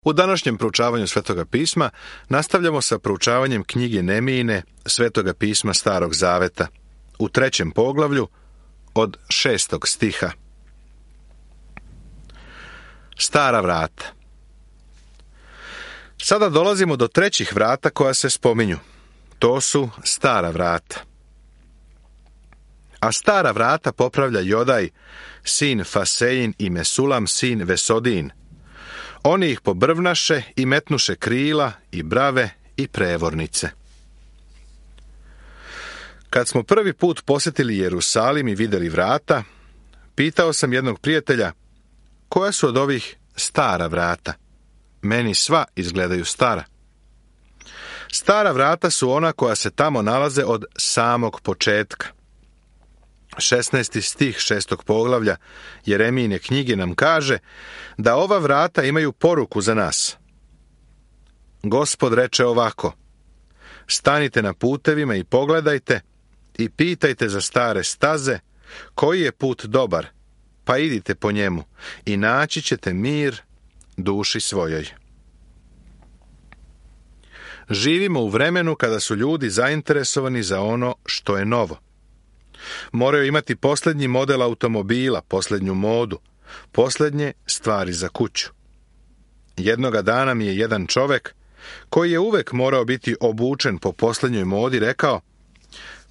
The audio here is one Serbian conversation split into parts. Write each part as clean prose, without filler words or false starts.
U današnjem proučavanju Svetoga pisma nastavljamo sa proučavanjem knjige Nemijine Svetoga pisma Starog zaveta u 3. poglavlju od 6. stiha. Stara vrata. Sada dolazimo do 3. vrata koja se spominju. To su stara vrata. A stara vrata popravlja Jodaj, sin Fasein i Mesulam, sin Vesodin. Oni ih pobrvnaše i metnuše krila i brave i prevornice. Kad smo prvi put posjetili Jerusalim i vidjeli vrata, pitao sam jednog prijatelja, koja su od ovih stara vrata? Meni sva izgledaju stara. Stara vrata su ona koja se tamo nalaze od samog početka. 16. stih 6. poglavlja Jeremijine knjige nam kaže da ova vrata imaju poruku za nas. Gospod reče ovako: stanite na putevima i pogledajte i pitajte za stare staze koji je put dobar, pa idite po njemu i naći ćete mir duši svojoj. Živimo u vremenu kada su ljudi zainteresovani za ono što je novo. Moraju imati posljednji model automobila, posljednju modu, posljednje stvari za kuću. Jednoga dana mi je jedan čovjek, koji je uvek morao biti obučen po posljednjoj modi, rekao: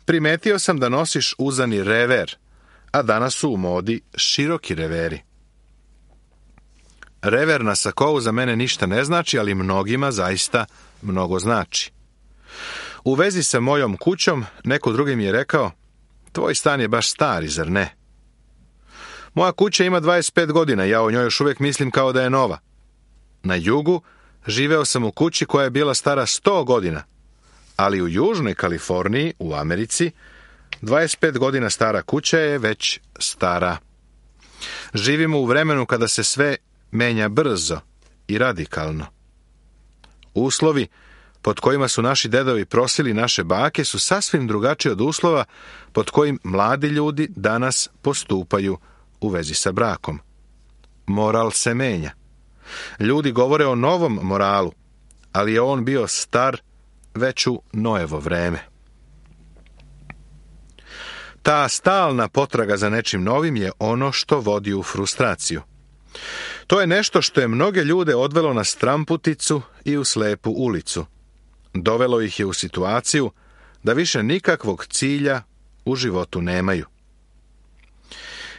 primetio sam da nosiš uzani rever, a danas su u modi široki reveri. Rever na sakou za mene ništa ne znači, ali mnogima zaista mnogo znači. U vezi sa mojom kućom, neko drugi mi je rekao: tvoj stan je baš stari, zar ne? Moja kuća ima 25 godina, ja o njoj još uvijek mislim kao da je nova. Na jugu živeo sam u kući koja je bila stara 100 godina, ali u Južnoj Kaliforniji, u Americi, 25 godina stara kuća je već stara. Živimo u vremenu kada se sve menja brzo i radikalno. Uslovi pod kojima su naši dedovi prosili naše bake su sasvim drugačiji od uslova pod kojim mladi ljudi danas postupaju u vezi sa brakom. Moral se menja. Ljudi govore o novom moralu, ali je on bio star već u Noevo vreme. Ta stalna potraga za nečim novim je ono što vodi u frustraciju. To je nešto što je mnoge ljude odvelo na stramputicu i u slepu ulicu. Dovelo ih je u situaciju da više nikakvog cilja u životu nemaju.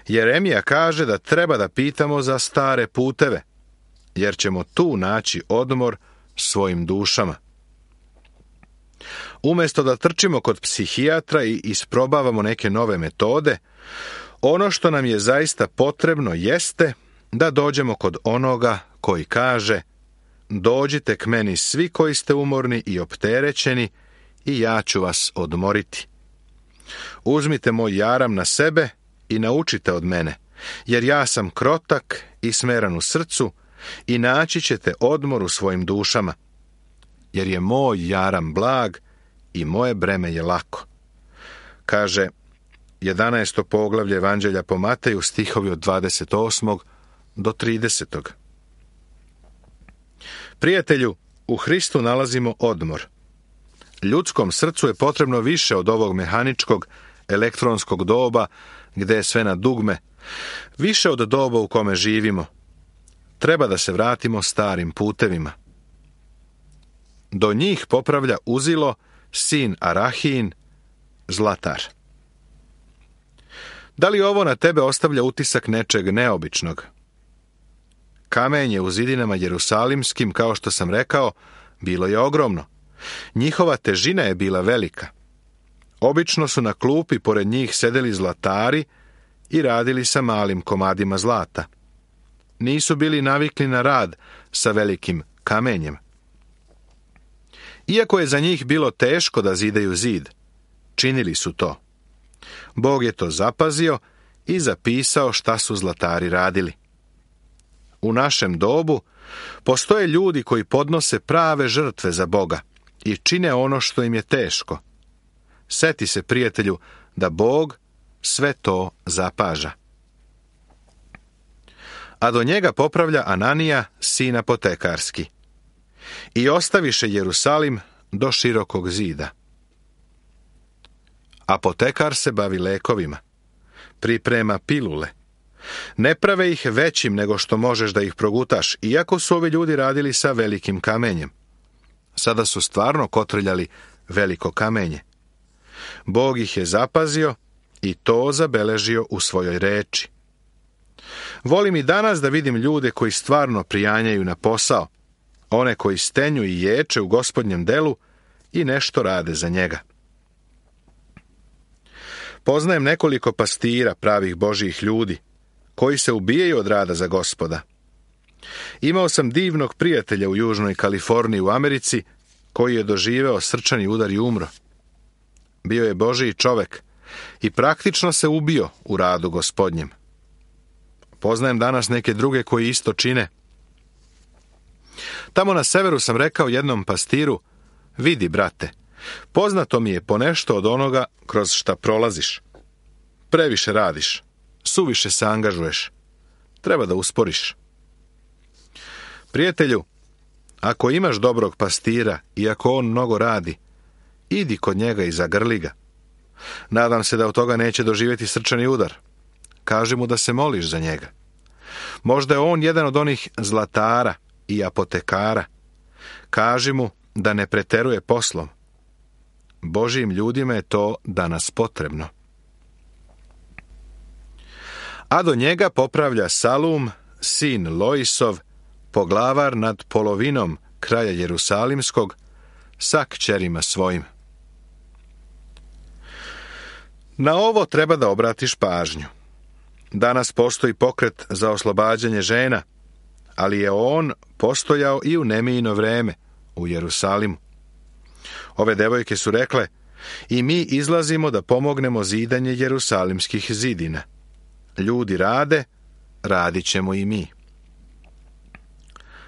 Jeremija kaže da treba da pitamo za stare puteve, jer ćemo tu naći odmor svojim dušama. Umjesto da trčimo kod psihijatra i isprobavamo neke nove metode, ono što nam je zaista potrebno jeste da dođemo kod onoga koji kaže: dođite k meni svi koji ste umorni i opterećeni i ja ću vas odmoriti. Uzmite moj jaram na sebe i naučite od mene, jer ja sam krotak i smeran u srcu i naći ćete odmor u svojim dušama, jer je moj jaram blag i moje breme je lako. Kaže 11. poglavlje Evanđelja po Mateju, stihovi od 28. do 30. Prijatelju, u Hristu nalazimo odmor. Ljudskom srcu je potrebno više od ovog mehaničkog, elektronskog doba, gdje je sve na dugme, više od doba u kome živimo. Treba da se vratimo starim putevima. Do njih popravlja Uzilo, sin Arahin, zlatar. Da li ovo na tebe ostavlja utisak nečeg neobičnog? Kamenje u zidinama jerusalimskim, kao što sam rekao, bilo je ogromno. Njihova težina je bila velika. Obično su na klupi pored njih sedeli zlatari i radili sa malim komadima zlata. Nisu bili navikli na rad sa velikim kamenjem. Iako je za njih bilo teško da zidaju zid, činili su to. Bog je to zapazio i zapisao šta su zlatari radili. U našem dobu postoje ljudi koji podnose prave žrtve za Boga i čine ono što im je teško. Seti se, prijatelju, da Bog sve to zapaža. a do njega popravlja Ananija, sin apotekarski. I ostaviše Jerusalim do širokog zida. Apotekar se bavi lekovima, priprema pilule. Ne prave ih većim nego što možeš da ih progutaš, iako su ovi ljudi radili sa velikim kamenjem. Sada su stvarno kotrljali veliko kamenje. Bog ih je zapazio i to zabeležio u svojoj reči. Volim i danas da vidim ljude koji stvarno prijanjaju na posao, one koji stenju i ječe u Gospodnjem delu i nešto rade za njega. Poznajem nekoliko pastira, pravih Božjih ljudi, koji se ubijaju od rada za Gospoda. Imao sam divnog prijatelja u Južnoj Kaliforniji u Americi, koji je doživeo srčani udar i umro. Bio je Božji čovek i praktično se ubio u radu Gospodnjem. Poznajem danas neke druge koji isto čine. Tamo na severu sam rekao jednom pastiru: vidi, brate, poznato mi je ponešto od onoga kroz šta prolaziš. Previše radiš, suviše se angažuješ. Treba da usporiš. Prijatelju, ako imaš dobrog pastira i ako on mnogo radi, idi kod njega i zagrli ga. Nadam se da od toga neće doživjeti srčani udar. Kaži mu da se moliš za njega. Možda je on jedan od onih zlatara i apotekara. Kaži mu da ne preteruje poslom. Božjim ljudima je to danas potrebno. A do njega popravlja Salum, sin Loisov, poglavar nad polovinom kraja Jerusalimskog, sa kćerima svojim. Na ovo treba da obratiš pažnju. Danas postoji pokret za oslobađanje žena, ali je on postojao i u Nemijino vreme u Jerusalimu. Ove devojke su rekle: i mi izlazimo da pomognemo zidanje jerusalimskih zidina. Ljudi rade, radit ćemo i mi.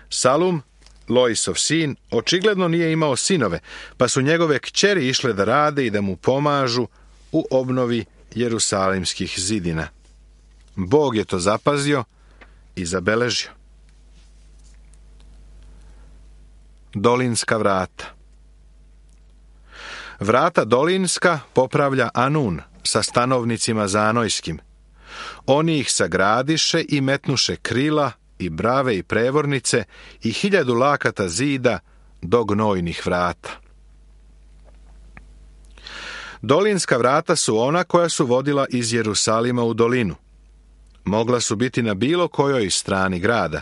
Salum, Loisov sin, očigledno nije imao sinove, pa su njegove kćeri išle da rade i da mu pomažu u obnovi jerusalimskih zidina. Bog je to zapazio i zabeležio. Dolinska vrata. Vrata dolinska popravlja Anun sa stanovnicima zanojskim. Oni ih sagradiše i metnuše krila i brave i prevornice i 1000 lakata zida do gnojnih vrata. Dolinska vrata su ona koja su vodila iz Jerusalima u dolinu. Mogla su biti na bilo kojoj strani grada,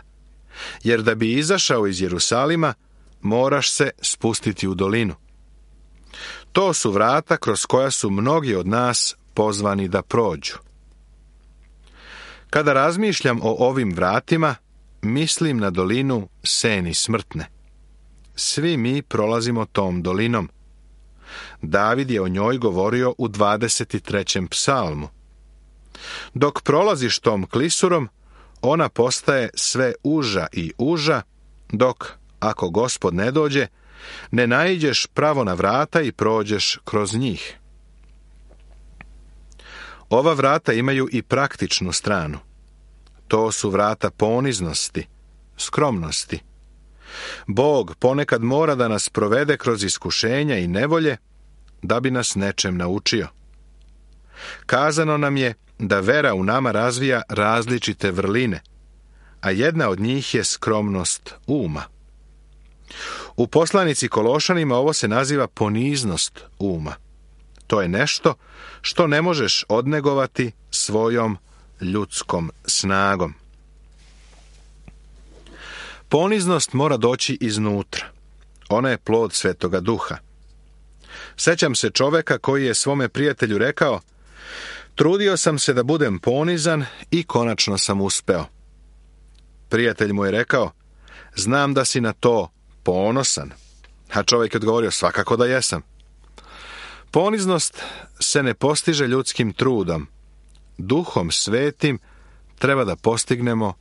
jer da bi izašao iz Jerusalima, moraš se spustiti u dolinu. To su vrata kroz koja su mnogi od nas pozvani da prođu. Kada razmišljam o ovim vratima, mislim na dolinu Seni smrtne. Svi mi prolazimo tom dolinom. David je o njoj govorio u 23. psalmu. Dok prolaziš tom klisurom, ona postaje sve uža i uža, dok, ako Gospod ne dođe, ne naiđeš pravo na vrata i prođeš kroz njih. Ova vrata imaju i praktičnu stranu. To su vrata poniznosti, skromnosti. Bog ponekad mora da nas provede kroz iskušenja i nevolje da bi nas nečem naučio. Kazano nam je da vera u nama razvija različite vrline, a jedna od njih je skromnost uma. U poslanici Kološanima ovo se naziva poniznost uma. To je nešto što ne možeš odnegovati svojom ljudskom snagom. Poniznost mora doći iznutra. Ona je plod Svetoga Duha. Sećam se čoveka koji je svome prijatelju rekao: trudio sam se da budem ponizan i konačno sam uspeo. Prijatelj mu je rekao: znam da si na to ponosan. A čovjek je odgovorio: svakako da jesam. Poniznost se ne postiže ljudskim trudom. Duhom svetim treba da postignemo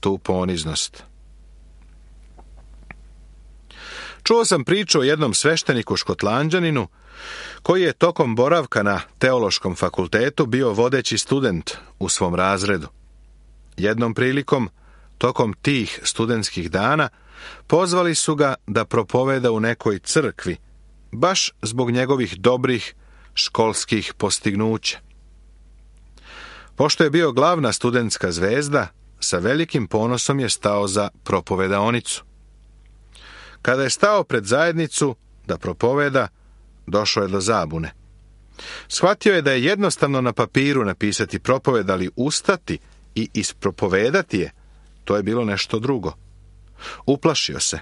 tu poniznost. Čuo sam priču o jednom svešteniku Škotlanđaninu koji je tokom boravka na teološkom fakultetu bio vodeći student u svom razredu. Jednom prilikom tokom tih studentskih dana pozvali su ga da propoveda u nekoj crkvi, baš zbog njegovih dobrih školskih postignuća. Pošto je bio glavna studentska zvezda, sa velikim ponosom je stao za propovedaonicu. Kada je stao pred zajednicu da propoveda, došao je do zabune. Shvatio je da je jednostavno na papiru napisati propoved, ali ustati i ispropovedati je, to je bilo nešto drugo. Uplašio se.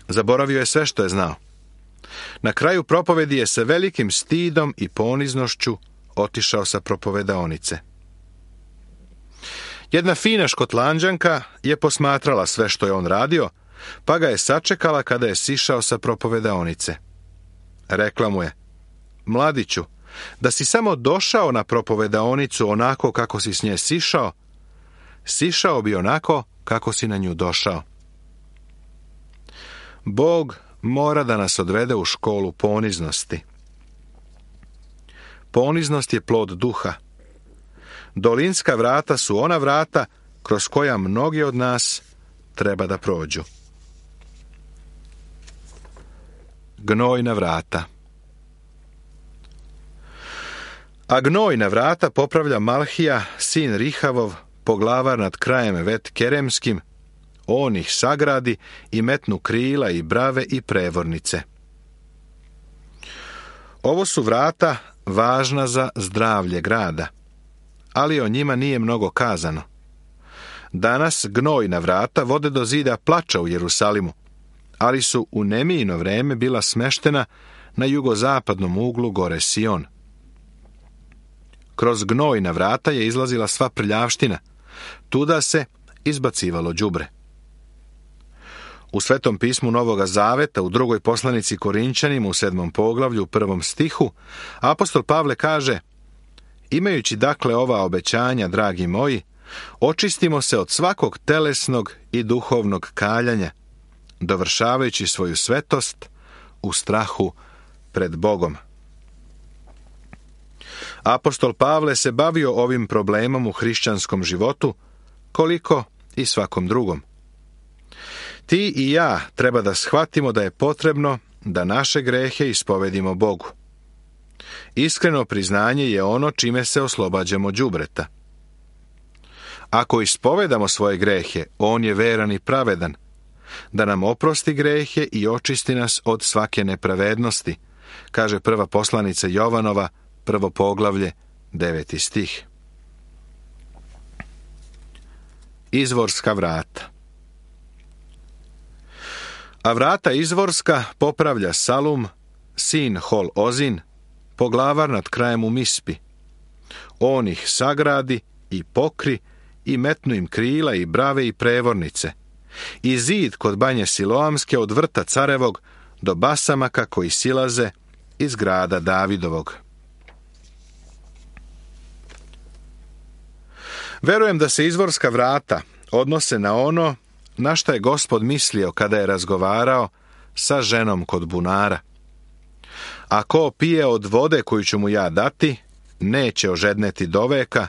Zaboravio je sve što je znao. Na kraju propovedi je sa velikim stidom i poniznošću otišao sa propovedaonice. Jedna fina Škotlanđanka je posmatrala sve što je on radio, pa ga je sačekala kada je sišao sa propovedaonice. Rekla mu je: mladiću, da si samo došao na propovedaonicu onako kako si s nje sišao, sišao bi onako kako si na nju došao. Bog mora da nas odvede u školu poniznosti. Poniznost je plod duha. Dolinska vrata su ona vrata kroz koja mnogi od nas treba da prođu. Gnojna vrata. A gnojna vrata popravlja Malhija, sin Rihavov, poglavar nad krajem Vet Keremskim, on ih sagradi i metnu krila i brave i prevornice. Ovo su vrata važna za zdravlje grada, ali o njima nije mnogo kazano. Danas gnojna vrata vode do zida plača u Jerusalimu, ali su u Nemijino vreme bila smeštena na jugozapadnom uglu gore Sion. Kroz gnojna vrata je izlazila sva prljavština, tuda se izbacivalo đubre. U Svetom pismu Novoga Zaveta, u drugoj poslanici Korinčanima u 7. poglavlju, u 1. stihu, apostol Pavle kaže: imajući dakle ova obećanja, dragi moji, očistimo se od svakog telesnog i duhovnog kaljanja, dovršavajući svoju svetost u strahu pred Bogom. Apostol Pavle se bavio ovim problemom u hrišćanskom životu, koliko i svakom drugom. Ti i ja treba da shvatimo da je potrebno da naše grehe ispovedimo Bogu. Iskreno priznanje je ono čime se oslobađamo đubreta. Ako ispovedamo svoje grehe, on je veran i pravedan, da nam oprosti grehe i očisti nas od svake nepravednosti, kaže prva poslanica Jovanova, 1. poglavlje, 9. stih. Izvorska vrata. A vrata izvorska popravlja Salum, sin Hol Ozin, poglavar nad krajem u Mispi. On ih sagradi i pokri i metnu im krila i brave i prevornice. I zid kod banje Siloamske od vrta Carevog do basamaka koji silaze iz grada Davidovog. Verujem da se izvorska vrata odnose na ono na šta je Gospod mislio kada je razgovarao sa ženom kod bunara. A ko pije od vode koju ću mu ja dati, neće ožedneti do veka,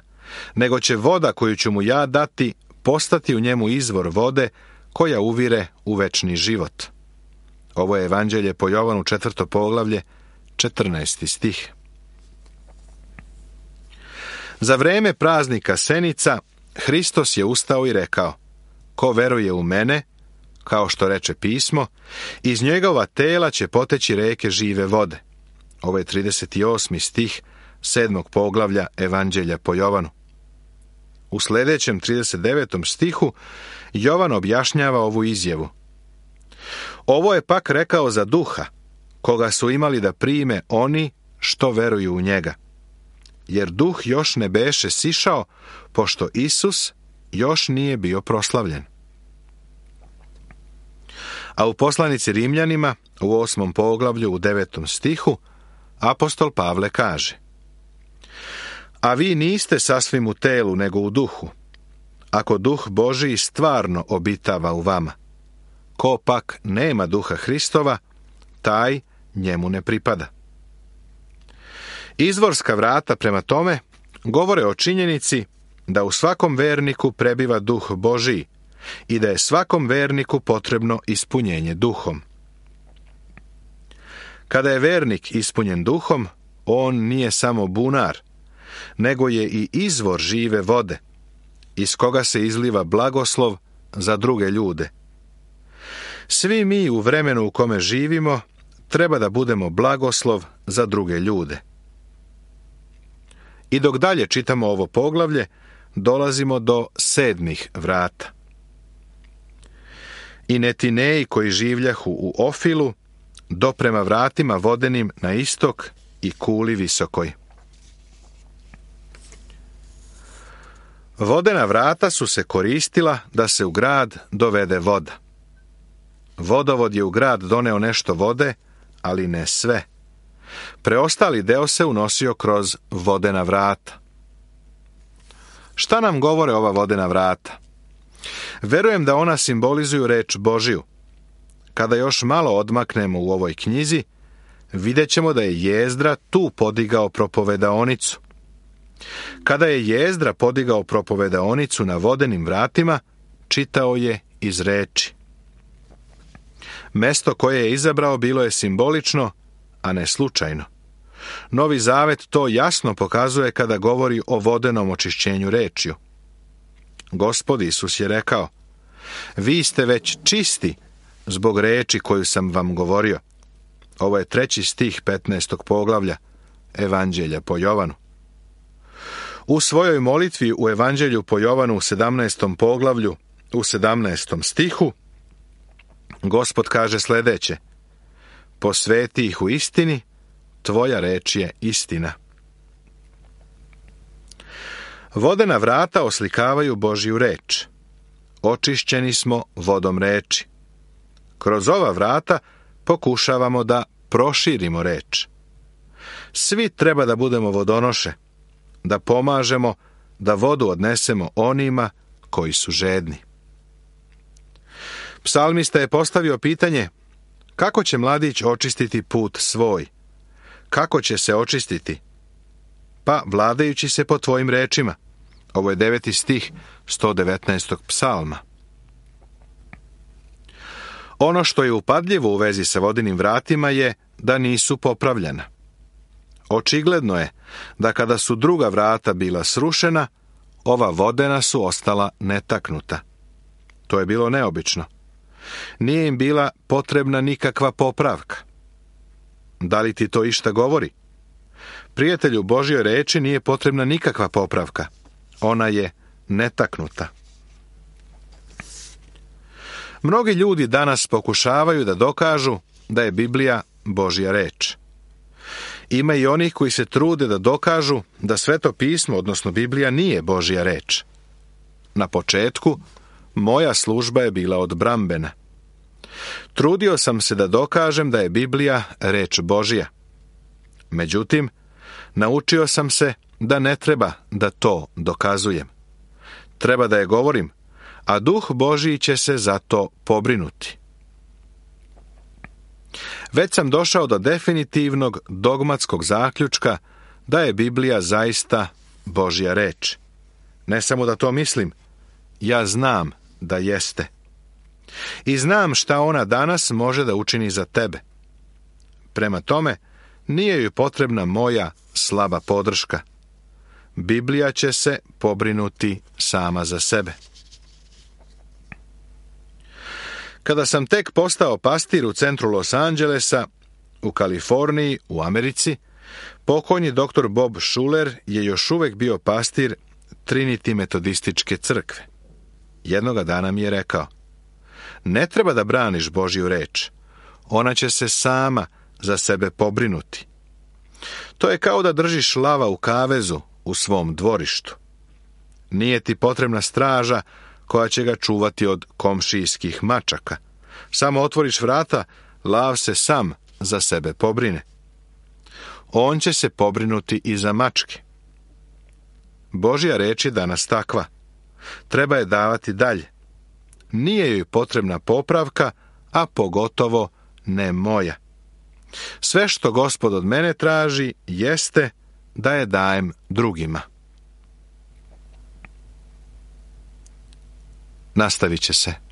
nego će voda koju ću mu ja dati postati u njemu izvor vode koja uvire u večni život. Ovo je Evanđelje po Jovanu 4. poglavlje, 14. stih. Za vreme praznika Senica, Hristos je ustao i rekao: ko veruje u mene, kao što reče pismo, iz njegova tela će poteći reke žive vode. Ovo je 38. stih 7. poglavlja Evanđelja po Jovanu. U sljedećem 39. stihu Jovan objašnjava ovu izjavu. Ovo je pak rekao za duha, koga su imali da prime oni što veruju u njega. Jer duh još ne beše sišao, pošto Isus još nije bio proslavljen. A u poslanici Rimljanima, u 8. poglavlju, u 9. stihu, apostol Pavle kaže: a vi niste sasvim u telu, nego u duhu, ako duh Božiji stvarno obitava u vama. Ko pak nema duha Hristova, taj njemu ne pripada. Izvorska vrata, prema tome, govore o činjenici da u svakom verniku prebiva duh Božiji i da je svakom verniku potrebno ispunjenje duhom. Kada je vernik ispunjen duhom, on nije samo bunar, nego je i izvor žive vode, iz koga se izliva blagoslov za druge ljude. Svi mi u vremenu u kome živimo treba da budemo blagoslov za druge ljude. I dok dalje čitamo ovo poglavlje, dolazimo do 7. vrata. I Netineji koji življahu u Ofilu, do prema vratima vodenim na istok i kuli visokoj. Vodena vrata su se koristila da se u grad dovede voda. Vodovod je u grad doneo nešto vode, ali ne sve. Preostali deo se unosio kroz vodena vrata. Šta nam govore ova vodena vrata? Verujem da ona simbolizuju reč Božiju. Kada još malo odmaknemo u ovoj knjizi, vidjet ćemo da je Jezdra tu podigao propovedaonicu. Kada je Jezdra podigao propovedaonicu na vodenim vratima, čitao je iz reči. Mesto koje je izabrao bilo je simbolično, a ne slučajno. Novi Zavet to jasno pokazuje kada govori o vodenom očišćenju rečju. Gospod Isus je rekao: vi ste već čisti zbog reči koju sam vam govorio. Ovo je 3. stih 15. poglavlja Evanđelja po Jovanu. U svojoj molitvi u Evanđelju po Jovanu u 17. poglavlju, u 17. stihu, Gospod kaže sljedeće: posveti ih u istini, tvoja reč je istina. Vodena vrata oslikavaju Božju reč. Očišćeni smo vodom reči. Kroz ova vrata pokušavamo da proširimo reč. Svi treba da budemo vodonoše, da pomažemo da vodu odnesemo onima koji su žedni. Psalmista je postavio pitanje: kako će mladić očistiti put svoj? Kako će se očistiti? Pa vladajući se po tvojim rečima. Ovo je 9. stih 119. psalma. Ono što je upadljivo u vezi sa vodenim vratima je da nisu popravljena. Očigledno je da kada su druga vrata bila srušena, ova vodena su ostala netaknuta. To je bilo neobično. Nije im bila potrebna nikakva popravka. Da li ti to išta govori? Prijatelju Božjoj reči nije potrebna nikakva popravka. Ona je netaknuta. Mnogi ljudi danas pokušavaju da dokažu da je Biblija Božja reč. Ima i onih koji se trude da dokažu da Sveto pismo, odnosno Biblija, nije Božja reč. Na početku, moja služba je bila odbrambena. Trudio sam se da dokažem da je Biblija reč Božja. Međutim, naučio sam se da ne treba da to dokazujem. Treba da je govorim, a Duh Božji će se za to pobrinuti. Već sam došao do definitivnog dogmatskog zaključka da je Biblija zaista Božja reč. Ne samo da to mislim, ja znam da jeste. I znam šta ona danas može da učini za tebe. Prema tome, nije joj potrebna moja slaba podrška. Biblija će se pobrinuti sama za sebe. Kada sam tek postao pastir u centru Los Angelesa, u Kaliforniji, u Americi, pokojni dr. Bob Schuller je još uvijek bio pastir Trinity metodističke crkve. Jednoga dana mi je rekao: ne treba da braniš Božju reč, ona će se sama za sebe pobrinuti. To je kao da držiš lava u kavezu u svom dvorištu. Nije ti potrebna straža koja će ga čuvati od komšijskih mačaka. Samo otvoriš vrata, lav se sam za sebe pobrine. On će se pobrinuti i za mačke. Božja reč je danas takva. Treba je davati dalje. Nije joj potrebna popravka, a pogotovo ne moja. Sve što Gospod od mene traži jeste da je dajem drugima. nastavit će se.